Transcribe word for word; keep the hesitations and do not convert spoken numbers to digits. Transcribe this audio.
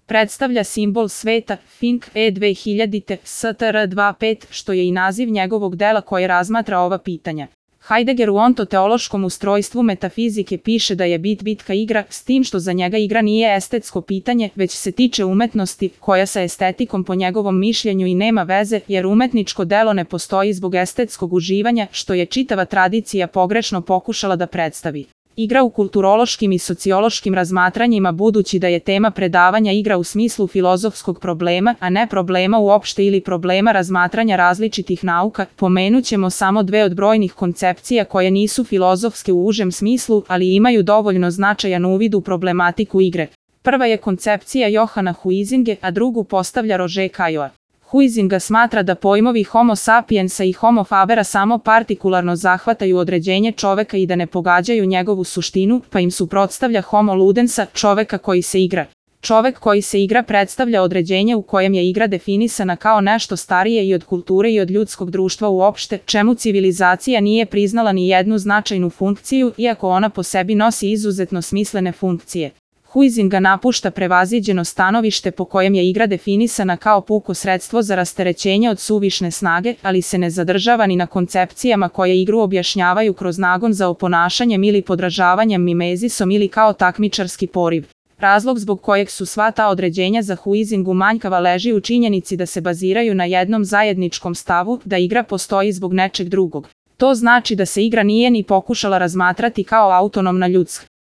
Predstavlja simbol sveta, Think E dve hiljadite, S T R dvadesет pet, što je i naziv njegovog dela koje razmatra ova pitanja. Heidegger u ontoteološkom ustrojstvu metafizike piše da je bit bitka igra, s tim što za njega igra nije estetsko pitanje, već se tiče umetnosti, koja sa estetikom po njegovom mišljenju i nema veze, jer umetničko delo ne postoji zbog estetskog uživanja, što je čitava tradicija pogrešno pokušala da predstavi. Igra u kulturološkim i sociološkim razmatranjima, budući da je tema predavanja igra u smislu filozofskog problema, a ne problema uopšte ili problema razmatranja različitih nauka, pomenućemo samo dve od brojnih koncepcija koje nisu filozofske u užem smislu, ali imaju dovoljno značajan uvid u problematiku igre. Prva je koncepcija Johana Huizinga, a drugu postavlja Roger Caillois. Huizinga smatra da pojmovi homo sapiensa i homo fabera samo partikularno zahvataju određenje čoveka i da ne pogađaju njegovu suštinu, pa im suprotstavlja homo ludensa, čoveka koji se igra. Čovek koji se igra predstavlja određenje u kojem je igra definisana kao nešto starije i od kulture i od ljudskog društva uopšte, čemu civilizacija nije priznala ni jednu značajnu funkciju, iako ona po sebi nosi izuzetno smislene funkcije. Huizinga napušta prevaziđeno stanovište po kojem je igra definisana kao puko sredstvo za rasterećenje od suvišne snage, ali se ne zadržava ni na koncepcijama koje igru objašnjavaju kroz nagon za oponašanjem ili podražavanjem mimezisom ili kao takmičarski poriv. Razlog zbog kojeg su sva ta određenja za Huizingu manjkava leži u činjenici da se baziraju na jednom zajedničkom stavu, da igra postoji zbog nečeg drugog. To znači da se igra nije ni pokušala razmatrati kao autonomna ljudska